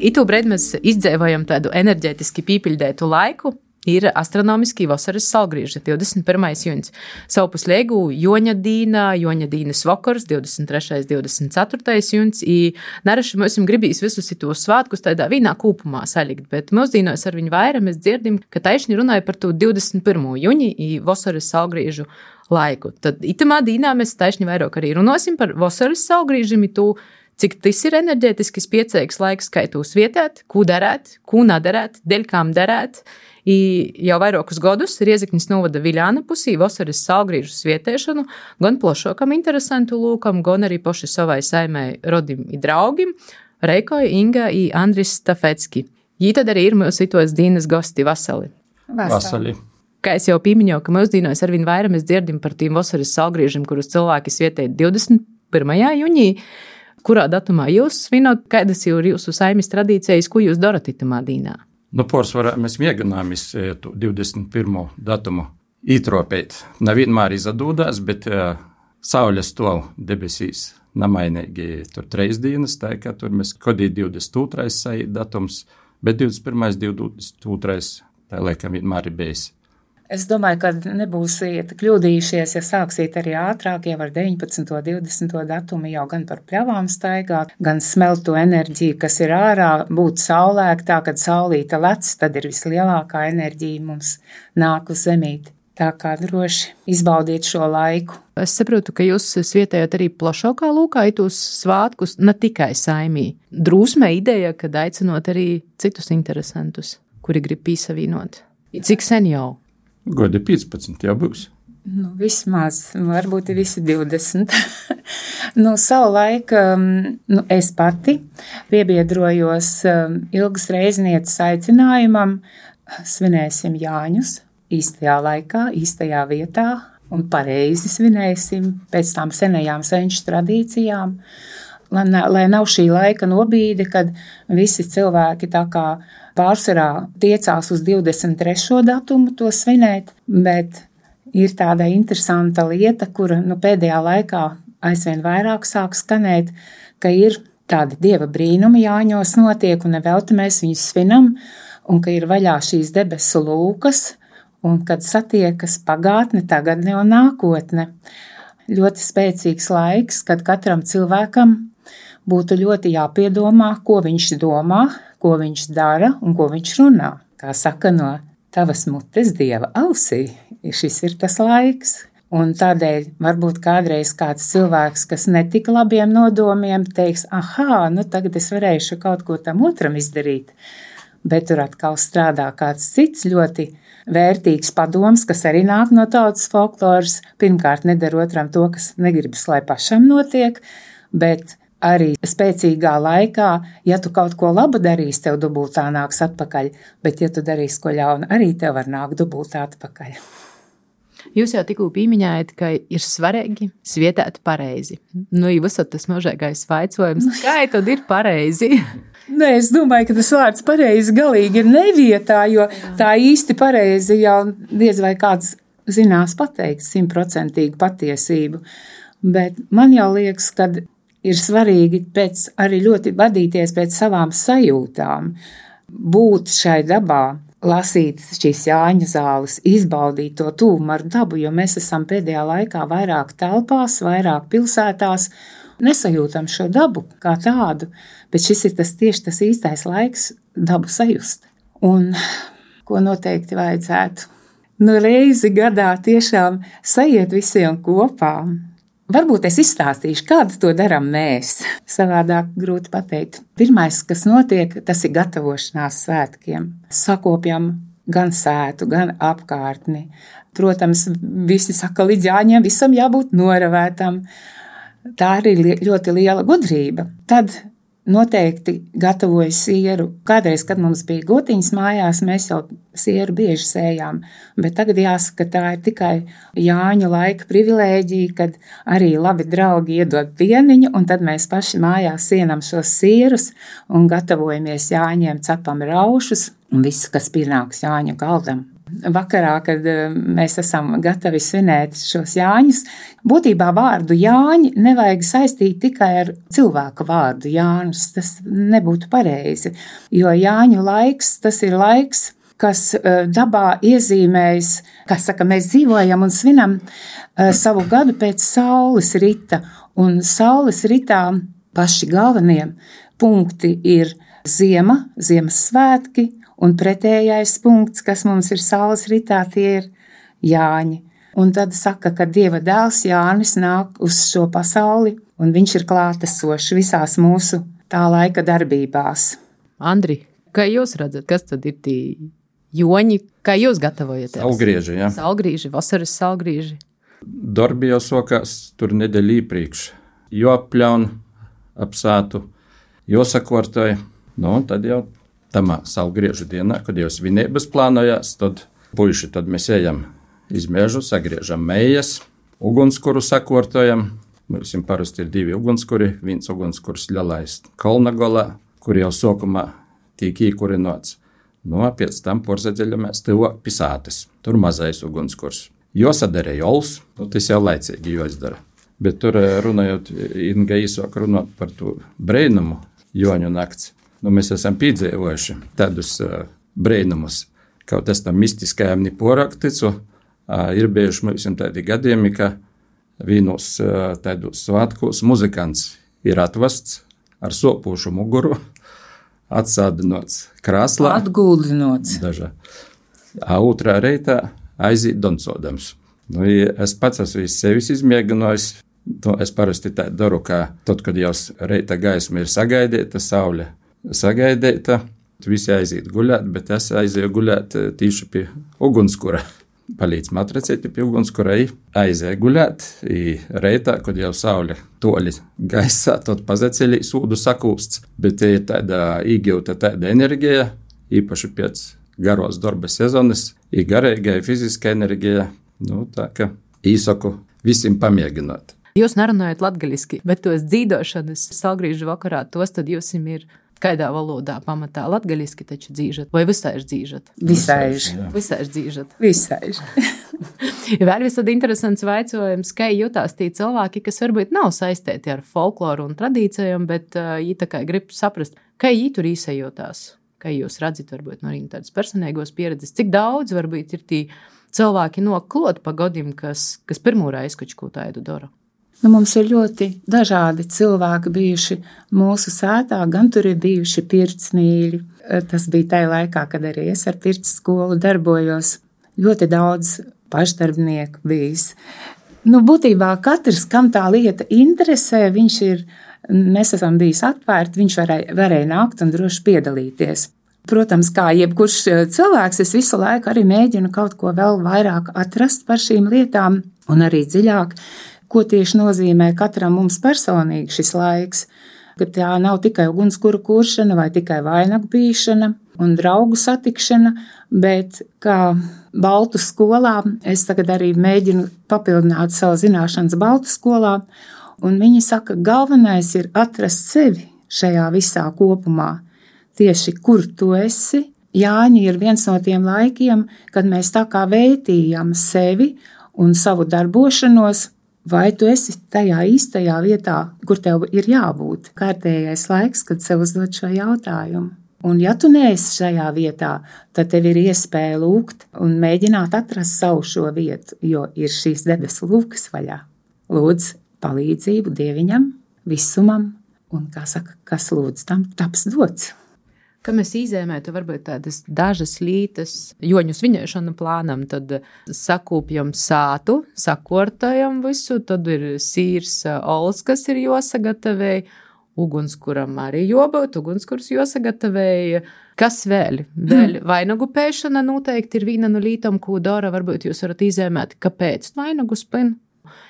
Itū brīdī mēs izdzēvojam tādu enerģētiski pīpiļdētu laiku. Ir astronomiski vasaras salgrieži, 21. jūnijas. Savpus liegu Joņa dīnas vakars, 23. 24. jūnijas. Naraši mums gribīs visus tos svātkus tādā vienā kūpumā salikt, bet mūsdīnos ar viņu vairāk mēs dzirdim, ka taišņi runāja par to 21. jūniju vasaras salgriežu laiku. Tad itamā dīnā mēs taišņi vairāk arī runāsim par vasaras salgriežiem, cik tas ir enerģētiski spiecīgs laiks, kā tos vietēt, ko darēt, ko nedarēt, dēļ kām darēt. Jau vairākus gadus Riezeknis novada Viļāna pusī vasaras salgriežu svietēšanu gan plašākam interesantu lūkam, gan arī paši savai saimē rodim i draugim Reikoj, Inga i Andris Stafecki. Jī tad arī ir mūsu itos dīnas gosti vasali. Vasali. Kā es jau pīmiņoju, ka mūsdīnos arvien vairāk mēs dzirdim par tīm vasaras salgriežiem, kurus cilvēki svietē 21. jūnijā. Kurā datumā jūs svinot, kādas ir jūsu saimes tradīcijas, ko jūs darat itamā dīnā? Pārsvarā mēs mēģinājām 21. datumu ītropēt. Nevienmēr izdodās, bet saule stāv debesīs nemainīgi tur 3 dienas, tā kā tur mēs kodī 22. datums, bet 21. 22. tā laikam vienmēr ir bijis. Es domāju, ka nebūsiet kļūdījušies, ja sāksiet arī ātrāk, jau ar 19. 20. datumu jau gan par pļavām staigāt, gan smelt to enerģiju, kas ir ārā, būt saulēktā, kad saulīta lec, tad ir vislielākā enerģija mums nāk uz zemīti. Tā kā droši izbaudiet šo laiku. Es saprotu, ka jūs svietējat arī plašākā lūkā itos svātkus, ne tikai saimī. Drūsmē ideja, kad aicinot arī citus interesantus, kuri grib pīsavīnot. Cik sen jau? Godi 15 jau būs. Vismaz, varbūt visi 20. Savu laiku es pati piebiedrojos Ilgas Reiznieces aicinājumam, svinēsim Jāņus īstajā laikā, īstajā vietā un pareizi svinēsim pēc tām senajām senču tradīcijām. Lai nav šī laika nobīde, kad visi cilvēki tā kā pārsvarā tiecās uz 23. datumu to svinēt, bet ir tāda interesanta lieta, kura pēdējā laikā aizvien vairāk sāk skanēt, ka ir tādi dieva brīnumi Jāņos notiek, un nevelti mēs viņus svinam, un ka ir vaļā šīs debesu lūkas, un kad satiekas pagātne, tagadne un nākotne. Ļoti spēcīgs laiks, kad katram cilvēkam būtu ļoti jāpiedomā, ko viņš domā, ko viņš dara un ko viņš runā. Kā saka, no tavas mutes dieva ausī, šis ir tas laiks. Un tādēļ varbūt kādreiz kāds cilvēks, kas netika labiem nodomiem, teiks, tagad es varēšu kaut ko tam otram izdarīt. Bet tur atkal strādā kāds cits ļoti vērtīgs padoms, kas arī nāk no tautas folkloras. Pirmkārt, nedara otram to, kas negribas, lai pašam notiek, bet arī spēcīgā laikā, ja tu kaut ko labu darīsi, tev dubultā nāks atpakaļ, bet ja tu darīsi ko ļaunu, arī tev var nākt dubultā atpakaļ. Jūs jau tikko pieminējāt, ka ir svarīgi svietēt pareizi. Visot tas mūžīgais vaicojums, kā tad ir pareizi? Es domāju, ka tas vārds pareizi galīgi ir nevietā, jo tā īsti pareizi jau diez vai kāds zinās pateikt 100% patiesību. Bet man jau liekas, ka ir svarīgi arī ļoti vadīties pēc savām sajūtām, būt šai dabā, lasīt šīs Jāņa zāles, izbaudīt to tūmu ar dabu, jo mēs esam pēdējā laikā vairāk telpās, vairāk pilsētās, nesajūtam šo dabu kā tādu, bet šis ir tieši tas īstais laiks dabu sajust. Un ko noteikti vajadzētu? Reizi gadā tiešām sajiet visiem kopā. Varbūt es izstāstīšu, kādu to darām mēs. Savādāk grūti pateikt. Pirmais, kas notiek, tas ir gatavošanās svētkiem. Sakopjam gan sētu, gan apkārtni. Protams, visi saka, līdz Jāņiem visam jābūt noravētam. Tā arī ļoti liela gudrība. Tad noteikti gatavoju sieru. Kādreiz, kad mums bija gotiņas mājās, mēs jau sieru bieži sējām, bet tagad jāsaka, tā ir tikai Jāņu laika privilēģija, kad arī labi draugi iedod pieniņu, un tad mēs paši mājās sienam šos sierus un gatavojamies Jāņiem, cepam raušus un visu, kas pienāks Jāņu galdam. vakarā, kad mēs esam gatavi svinēt šos Jāņus. Būtībā vārdu Jāņi nevajag saistīt tikai ar cilvēka vārdu Jānis. Tas nebūtu pareizi, jo Jāņu laiks, tas ir laiks, kas dabā iezīmējas, kā saka, mēs dzīvojam un svinam savu gadu pēc saules rita. Un saules ritā paši galvenie punkti ir ziema, Ziemassvētki, un pretējais punkts, kas mums ir saules ritā, tie ir Jāņi. Un tad saka, ka Dieva dēls Jānis nāk uz šo pasauli, un viņš ir klātesošs visās mūsu tā laika darbībās. Andri, kā jūs redzat, kas tad ir tie joņi, kā jūs gatavojaties? Saulgrieži, jā. Saulgrieži, vasaras saulgrieži. Darbi jau sokās tur nedēļu iepriekš. Jopļaun apsātu, josakortoja, tad jau tamā saulgriežu dienā, kad jau svinības plānojās, tad puiši, tad mēs ejam iz mežu, sagriežam mejas, ugunskuru sakortojam. Mums parasti ir 2 ugunskuri, viens ugunskurs ļalais Kolnagolā, kur jau sokumā tīk īkurinots. Pēc tam porzadziļamies tuvāk pisātes, tur mazais ugunskurs. Josadara jols, tas jau laicīgi joizdara. Bet tur runājot, Inga īsāk runāt par to brēnumu Joņu nakts. Mēs esam piedzīvojuši tādus brēnumus, kaut es tam mistiskajam neporakticu, ir bijuši mums tādi gadījumi, ka vienos tādus svētkos muzikants ir atvests ar sopošu muguru, atsādinots krāslā. Atguldinots. Dažā. Otrā reitā aiziet doncodams. Es pats esmu sevis izmēģinājis. Es parasti tā daru, ka tad, kad jau reita gaisma ir sagaidīta, saule sagaidīta, visi aiziet guļāt, bet es aizēju guļāt tīši pie ugunskura. Palīdz matracēti pie ugunskura, aizēju guļāt, reitā, kad jau saule toļi gaisā, tad pazaceļī sūdu sakūsts, bet ir tāda īgauta tāda enerģija, īpaši pēc garos darba sezonas, garīgai fiziska enerģija, tā ka īsaku visiem pamēģināt. Jūs nerunājat latgaļiski, bet tos dzīdošanas saulgriežu vakarā, tos tad jūs ir kādā valodā pamatā latgaļiski taču dzīžat, vai visaiž dzīžat? Visaiž dzīžat. Visaiž. Vēl visad interesants vaicojums, kā jutās tie cilvēki, kas varbūt nav saistīti ar folkloru un tradīcijām, bet viņi tā kā grib saprast, kā viņi tur īsajotās, kā jūs redzat, varbūt no tādas personīgos pieredzes, cik daudz varbūt ir tie cilvēki noklot pa godim, kas pirmo reizi kaut ko tādu dara. Mums ir ļoti dažādi cilvēki bijuši mūsu sētā, gan tur ir bijuši pircmīļi. Tas bija tajā laikā, kad arī es ar pirts skolu darbojos. Ļoti daudz pašdarbnieku bijis. Būtībā katrs, kam tā lieta interesē, mēs esam bijis atvērti, viņš varēja nākt un droši piedalīties. Protams, kā jebkurš cilvēks, es visu laiku arī mēģinu kaut ko vēl vairāk atrast par šīm lietām un arī dziļāk. Ko tieši nozīmē katram mums personīgi šis laiks, ka tā nav tikai ugunskura kuršana vai tikai vainagu bīšana un draugu satikšana, bet kā Baltu skolā, es tagad arī mēģinu papildināt savu zināšanas Baltu skolā, un viņi saka, galvenais ir atrast sevi šajā visā kopumā, tieši kur tu esi. Jāņi ir viens no tiem laikiem, kad mēs tā kā vērtījam sevi un savu darbošanos, vai tu esi tajā īstajā vietā, kur tev ir jābūt. Kārtējais laiks, kad sev uzdot šo jautājumu. Un ja tu neesi šajā vietā, tad tev ir iespēja lūgt un mēģināt atrast savu šo vietu, jo ir šīs debesu lūkas vaļā. Lūdz palīdzību Dieviņam, visumam, un, kā saka, kas lūdz tam, taps dots. Ka mēs izēmētu varbūt tādas dažas lītas joņu svinēšanu plānam, tad sakūpjam sātu, sakortojam visu, tad ir sīrs ols, kas ir josagatavēja, ugunskuram arī jobūt, ugunskurs josagatavēja. Kas vēl? Vēl vainagu pēšana noteikti ir viena no lītām, ko dara, varbūt jūs varat izēmēt, kāpēc vainagu spin.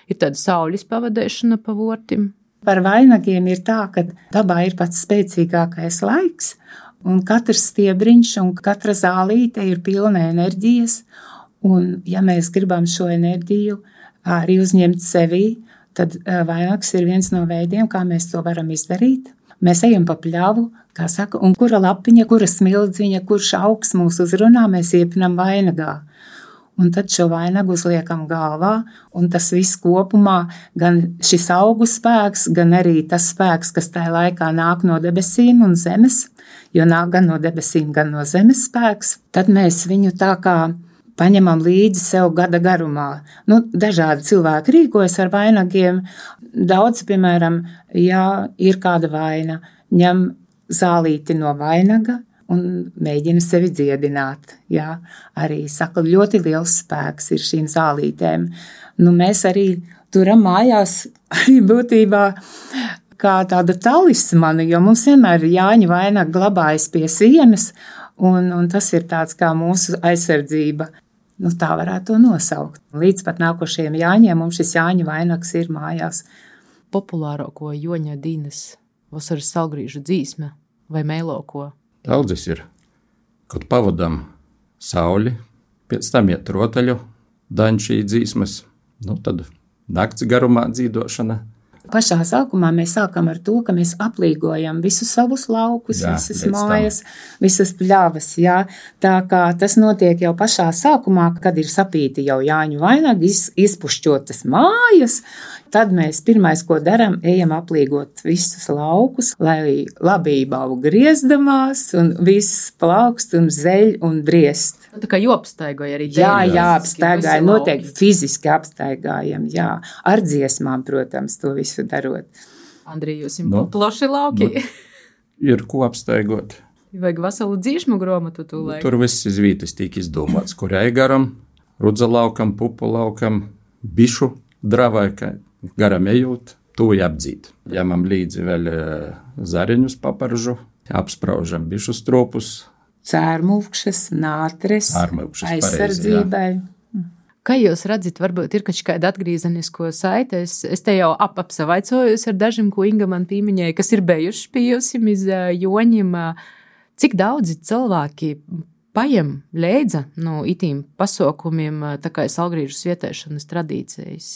Ir tāda saules pavadēšana pa vortim. Par vainagiem ir tā, ka dabā ir pats spēcīgākais laiks, un katrs stiebriņš un katra zālīte ir pilna enerģijas, un ja mēs gribam šo enerģiju arī uzņemt sevī, tad vainags ir viens no veidiem, kā mēs to varam izdarīt. Mēs ejam pa pļavu, kā saka, un kura lapiņa, kura smildziņa, kurš augs mūs uzrunā, mēs iepinam vainagā. Un tad šo vainagu uzliekam galvā, un tas viss kopumā, gan šis augu spēks, gan arī tas spēks, kas tajā laikā nāk no debesīm un zemes, jo nāk gan no debesīm, gan no zemes spēks, tad mēs viņu tā kā paņemam līdzi sev gada garumā. Dažādi cilvēki rīkojas ar vainagiem. Daudz, piemēram, ja ir kāda vaina, ņem zālīti no vainaga, un mēģina sevi dziedināt. Jā, arī saka, ļoti liels spēks ir šīm zālītēm. Mēs arī turam mājās arī būtībā kā tāda talismana, jo mums vienmēr Jāņa vainaga glabājas pie sienas, un tas ir tāds kā mūsu aizsardzība. Tā varētu to nosaukt. Līdz pat nākošajiem Jāņiem mums šis Jāņa vainags ir mājās. Populārāko Joņa Dīnas vasaras salgrīžu dzīsme vai mēloko? Daudzas ir, kad pavadam sauli, pēc tam iet rotaļu, daņšī dzīsmas, tad nakts garumā dzīdošana. Pašā sākumā mēs sākam ar to, ka mēs aplīgojam visus savus laukus, visas mājas, visas pļavas. Jā. Tā kā tas notiek jau pašā sākumā, kad ir sapīti jau Jāņu vainagi, izpušķotas mājas, tad mēs pirmais, ko daram, ejam aplīgot visus laukus, lai labība aug griezdamās un viss plaukst un zeļ un briest. Tā kā apstaigoja arī dēļ. Jā, apstaigāja, noteikti fiziski apstaigājam, jā. Ar dziesmām, protams, to visu darot. Andrija, jūs jums plaši lauki? Ir ko apstaigot. Vajag veselu dzīšmu gromatu tūlēk. Tur viss iz vītas tīk izdomāts, kurai garam, rudza laukam, pupu laukam, bišu dravai, ka garam ejot, to apdzīt. Ņemam līdzi vēl zareņus paparžu, apspraužam bišu stropus. Cērmūkšas, nātres, aizsardzībai. Kā jūs redzat, varbūt ir kāda atgriezenisko saite? Es te jau apsavaicojos ar dažiem, ko Inga man pīmiņēja, kas ir bijuši pie jums iz Joņiem. Cik daudzi cilvēki pajem leidza no itīm pasaukumiem, tā kā salgrīžu svietēšanas tradīcijas?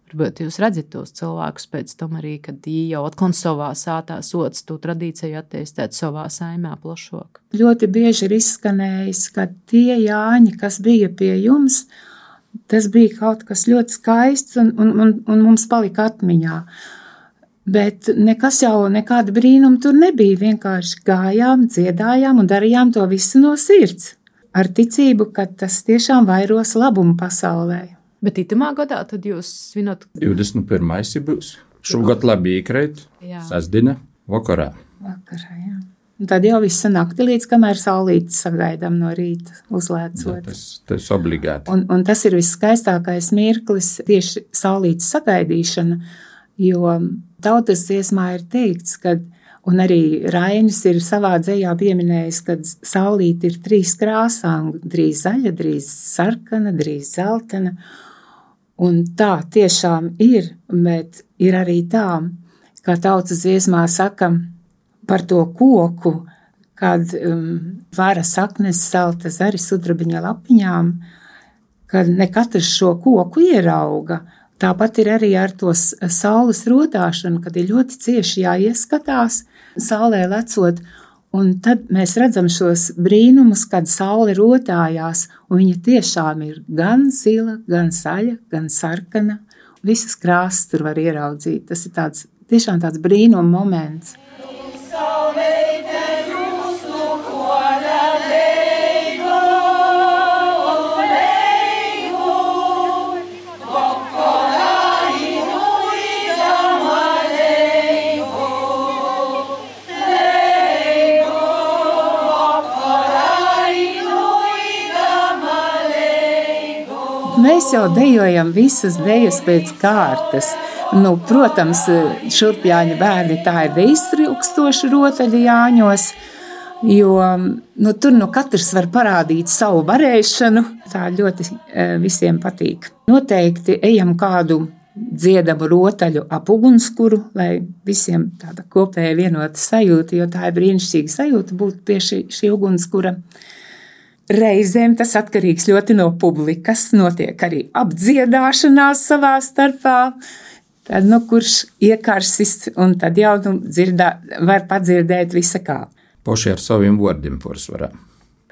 Varbūt jūs redzat tos cilvēkus pēc tam arī, kad viņi jau atkal savā sātā sots to tradīciju attīstīt savā saimē plašāk. Ļoti bieži ir izskanējis, ka tie Jāņi, kas bija pie jums, tas bija kaut kas ļoti skaists un mums palika atmiņā. Bet nekas jau, nekāda brīnuma tur nebija. Vienkārši gājām, dziedājām un darījām to visu no sirds. Ar ticību, ka tas tiešām vairos labumu pasaulē. Bet itamā gadā tad jūs svinat? 21. būs. Šogad labi iekrīt. Sasdina vakarā. Jā. Un tad jau visu nakti līdz kamēr saulīti sagaidām no rīta uzlēcot. Tas obligāti. Un tas ir viskaistākais mirklis tieši saulītes sagaidīšana, jo tautas dziesmā ir teikts, kad, un arī Rainis ir savā dzejā pieminējis, kad saulīte ir 3 krāsām, drīz zaļa, drīz sarkana, drīz zeltena. Un tā tiešām ir, bet ir arī tā, kā tautas dziesmā saka par to koku, kad vara saknes salta zari sudrabiņa lapiņām, kad ne katrs šo koku ierauga. Tāpat ir arī ar to saules rotāšanu, kad ir ļoti cieši jāieskatās saulē lecot, un tad mēs redzam šos brīnumus, kad saule rotājās, un viņa tiešām ir gan zila, gan zaļa, gan sarkana. Visas krāsas tur var ieraudzīt. Tas ir tiešām tāds brīnuma moments. Mēs jau dejojam visas dejas pēc kārtas. Protams, šurpjāņa bērni tā ir deiztrūkstoši rotaļi Jāņos, jo tur katrs var parādīt savu varēšanu. Tā ļoti visiem patīk. Noteikti ejam kādu dziedamu rotaļu ap ugunskuru, lai visiem tāda kopēja vienota sajūta, jo tā ir brīnišķīga sajūta būt pie šī ugunskura. Reizēm tas atkarīgs ļoti no publikas, notiek arī apdziedāšanās savā starpā. Tad, kurš iekarsis, un tad jau var padzirdēt visa kā. Poši ar saviem vārdiem pārsvarā.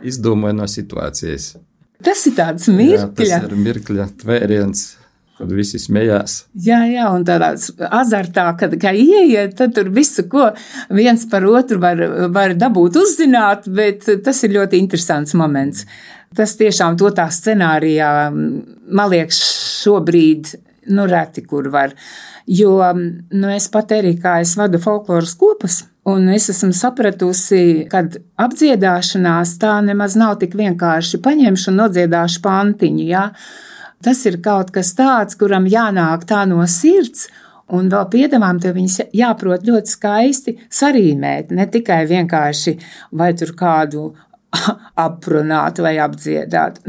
Izdomāja no situācijas. Tas ir tāds mirkļa. Jā, tas ir mirkļa tvēriens, kad visi smējās. Jā, un tādā azartā, kad ieiet, tad tur visu, ko viens par otru var dabūt uzzināt, bet tas ir ļoti interesants moments. Tas tiešām to tā scenārijā, man liekas, šobrīd reti, kur var. Jo, es pat arī, kā es vadu folkloras kopas, un es esmu sapratusi, kad apdziedāšanās tā nemaz nav tik vienkārši paņemšu un nodziedāšu pantiņu, jā. Tas ir kaut kas tāds, kuram jānāk tā no sirds, un vēl piedevām tev viņas jāprot ļoti skaisti sarīmēt, ne tikai vienkārši vai tur kādu aprunāt vai apdziedāt,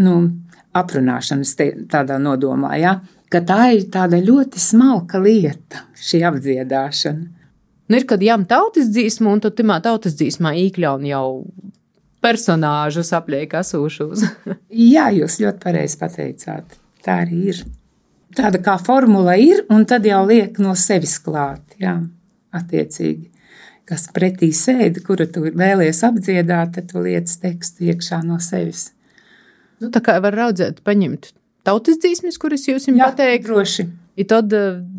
aprunāšanas tādā nodomā, jā. Ka tā ir tāda ļoti smalka lieta, šī apdziedāšana. Ir, kad jām tautas dzīsmu, un tad timā tautas dzīsmā īkļaun jau personāžus apliek asūšus. Jā, jūs ļoti pareizi pateicāt. Tā arī ir. Tāda kā formula ir, un tad jau liek no sevis klāt, jā, attiecīgi. Kas pretī sēdi, kuru tu vēlies apdziedāt, tad tu liec tekstu iekšā no sevis. Tā kā var raudzēt paņemt tautas dzīsmes, kuras jūs jums pateikt, droši. I tad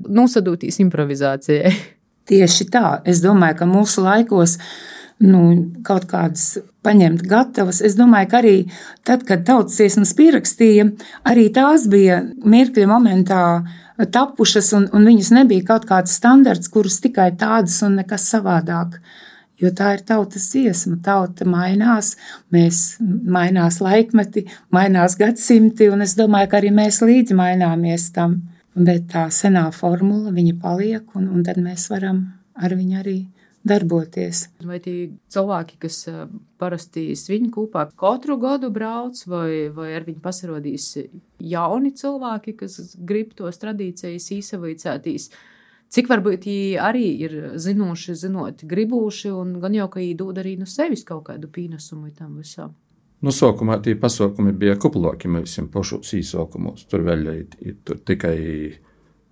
nosadūtīs improvizācijai. Tieši tā. Es domāju, ka mūsu laikos kaut kādas paņemt gatavas. Es domāju, ka arī tad, kad tautas dziesmas pierakstīja, arī tās bija mirkļa momentā tapušas, un viņas nebija kaut kāds standarts, kurus tikai tādas un nekas savādāk. Jo tā ir tautas dziesma, tauta mainās, mainās laikmeti, mainās gadsimti, un es domāju, ka arī mēs līdzi maināmies tam. Bet tā senā formula, viņa paliek, un tad mēs varam ar viņu arī darboties. Vai tie cilvēki, kas parasti sviņu kūpā katru gadu brauc, vai ar viņu pasarodīs jauni cilvēki, kas grib tos tradīcijas īsavīcētīs? Cik varbūt viņi arī ir zinoši, gribūši, un gan jau, ka viņi dod arī no sevis kaut kādu pīnesumu tam visam. Sākumā tie pasaukumi bija kuploki mēs pašos īsākumos. Tur vēl tur tikai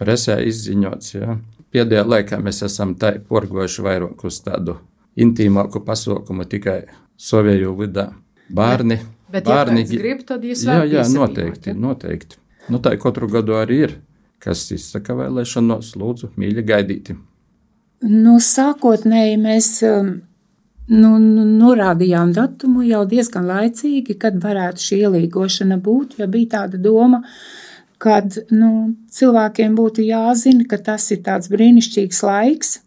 presē izziņots. Ja. Pēdējā laikā mēs esam porgojuši vairāk uz tādu intīmāku pasaukumu tikai savējo vidā. Bērni. Bet ja kāds grib, tad jūs vēl Jā, noteikti. Tā katru gadu arī ir. Kas izsaka vēlēšanos, lūdzu, mīļi gaidīti? Sākotnēji mēs norādījām datumu jau diezgan laicīgi, kad varētu šī ielīgošana būt, jo bija tāda doma, kad cilvēkiem būtu jāzina, ka tas ir tāds brīnišķīgs laiks,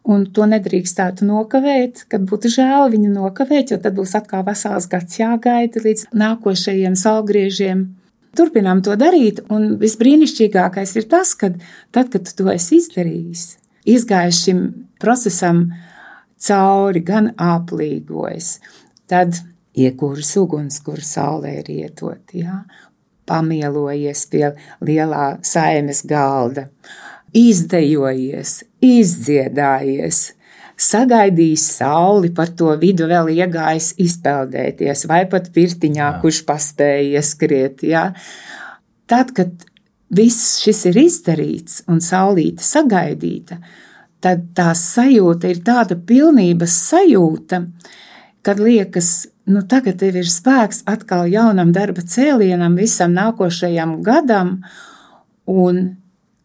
un to nedrīkstētu nokavēt, kad būtu žēl viņu nokavēt, jo tad būs atkal vesels gads jāgaida līdz nākošajiem salgriežiem. Turpinām to darīt, un visbrīnišķīgākais ir tas, ka tad, kad tu to esi izdarījis, izgājis šim procesam cauri, gan aplīgojas, tad iekūris uguns, kur saulē ir ietot, jā, pamielojies pie lielā saimes galda, izdejojies, izdziedājies, sagaidījis sauli, par to vidu vēl iegājis izpeldēties, vai pat pirtiņā, kurš paspēja ieskriet. Ja? Tad, kad viss šis ir izdarīts un saulīte sagaidīta, tad tā sajūta ir tāda pilnības sajūta, kad liekas, tagad tev ir spēks atkal jaunam darba cēlienam, visam nākošajam gadam, un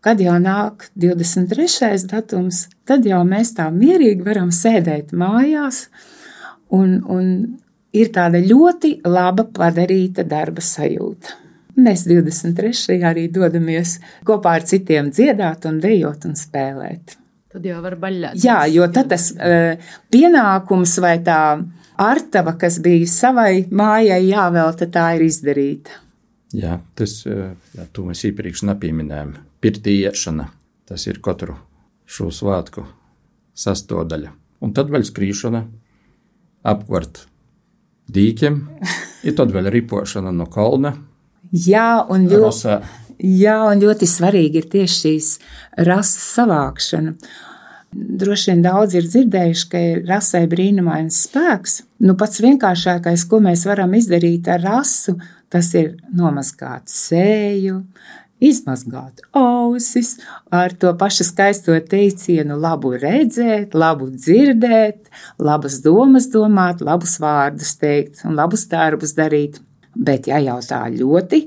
kad jau nāk 23. datums, tad jau mēs tā mierīgi varam sēdēt mājās, un ir tāda ļoti laba padarīta darba sajūta. Mēs 23. arī dodamies kopā ar citiem dziedāt un dejot un spēlēt. Tad jau var baļļāt. Jā, jo tad tas pienākums vai tā artava, kas bija savai mājai jāvelta, tā ir izdarīta. Jā, to mēs iepriekš nepieminējām. Pirtī iešana, tas ir katru šo svātku sastāvdaļa. Un tad vēl skrīšana apkārt dīķiem, ir tad vēl ripošana no kalna. Jā, un ļoti svarīgi ir tieši šīs rases savākšana. Droši vien daudz ir dzirdējuši, ka ir rasai brīnumains spēks. Pats vienkāršākais, ko mēs varam izdarīt ar rasu, tas ir nomazgāt sēju, izmazgāt ausis, ar to pašu skaisto teicienu labu redzēt, labu dzirdēt, labas domas domāt, labus vārdus teikt un labus darbus darīt. Bet, ja jau tā ļoti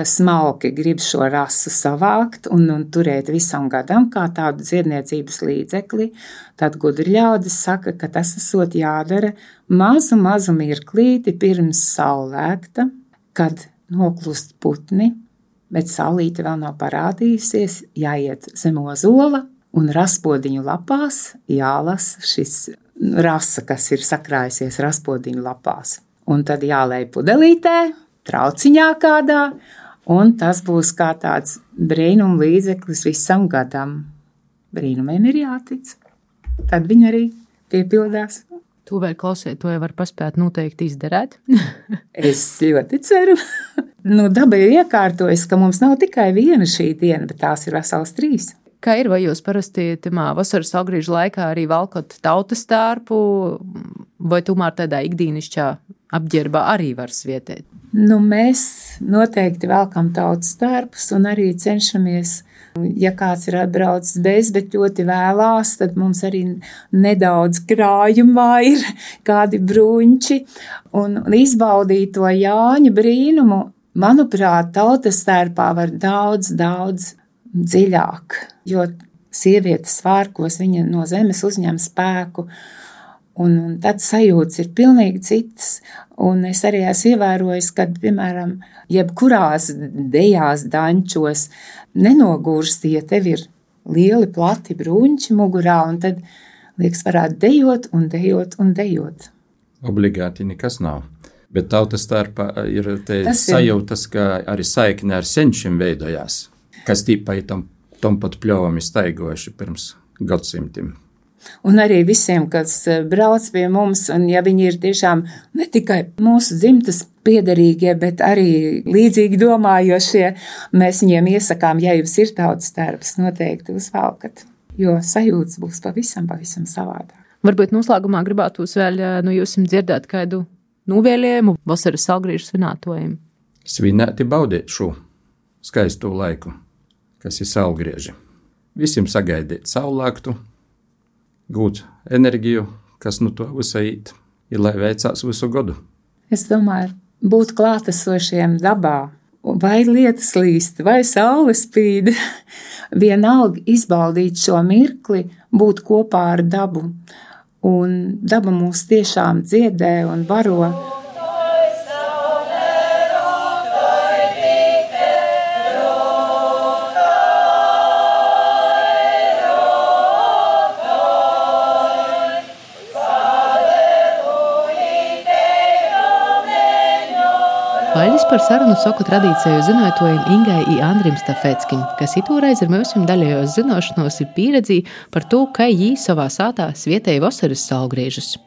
smalki grib šo rasu savākt un turēt visam gadam kā tādu dziedniecības līdzekli, tad gudri ļaudis saka, ka tas esot jādara mazu mirklīti pirms saulēkta, kad noklust putni, bet saulīte vēl nav parādījusies, jāiet zem ozola un raspodiņu lapās jālasa šis rasa, kas ir sakrājusies raspodiņu lapās. Un tad jālej pudelītē, trauciņā kādā, un tas būs kā tāds brīnum līdzeklis visam gadam. Brīnumiem ir jātic. Tad viņi arī piepildās. Tu vēl klausies, to jau var paspēt noteikti izdarēt. Es ļoti ceru. Daba ir iekārtojas, ka mums nav tikai viena šī diena, bet tās ir vesels 3. Kā ir, vai jūs parasti vasaras saulgriežu laikā arī valkot tautas tērpu, vai tomēr tādā ikdienišķā apģērbā arī var svietēt? Mēs noteikti velkam tautas tērpus un arī cenšamies, ja kāds ir atbraucis bez, bet ļoti vēlās, tad mums arī nedaudz krājumā ir kādi bruņči un izbaudīt to Jāņa brīnumu. Manuprāt, tautas tērpā var daudz dziļāk, jo sievietes svārkos viņa no zemes uzņem spēku, un tad sajūtas ir pilnīgi citas. Un es arī esmu ievērojis, ka, piemēram, jebkurās dejās, dančos nenogurst, ja tev ir lieli, plati bruņči mugurā, un tad, liekas, varētu dejot. Obligāti nekas nav. Bet tautas starpā ir sajūtas, ka arī saikne ar senčiem veidojās, kas tīpai tam pat pļovam ir staigojuši pirms gadsimtiem. Un arī visiem, kas brauc pie mums, un ja viņi ir tiešām ne tikai mūsu dzimtas piederīgie, bet arī līdzīgi domājošie, mēs viņiem iesakām, ja jums ir tautas tērps, noteikti uzvalkat, jo sajūtas būs pavisam savādāk. Varbūt noslēgumā gribētos vēl jūs dzirdēt kādu novēlējumu vasaras saulgriežu svinētojiem. Svinēti baudīt šo skaisto laiku, kas ir saulgrieži. Visiem sagaidīt saulēktu, gūt enerģiju, kas to visu īt, ir lai veicās visu gadu. Es domāju, būt klātesošiem dabā, vai lietas līst, vai saule spīd, vienalga izbaudīt šo mirkli, būt kopā ar dabu. Un daba mūs tiešām dziedē un baro. Paldies par sarunu soku tradīciju zinātājiem Ingai i Andrim Stafeckim, kas itūreiz ar mums daļējos zinošanos ir pieredzi par to, kā jī savā sātā svietēja vasaras saulgriežus.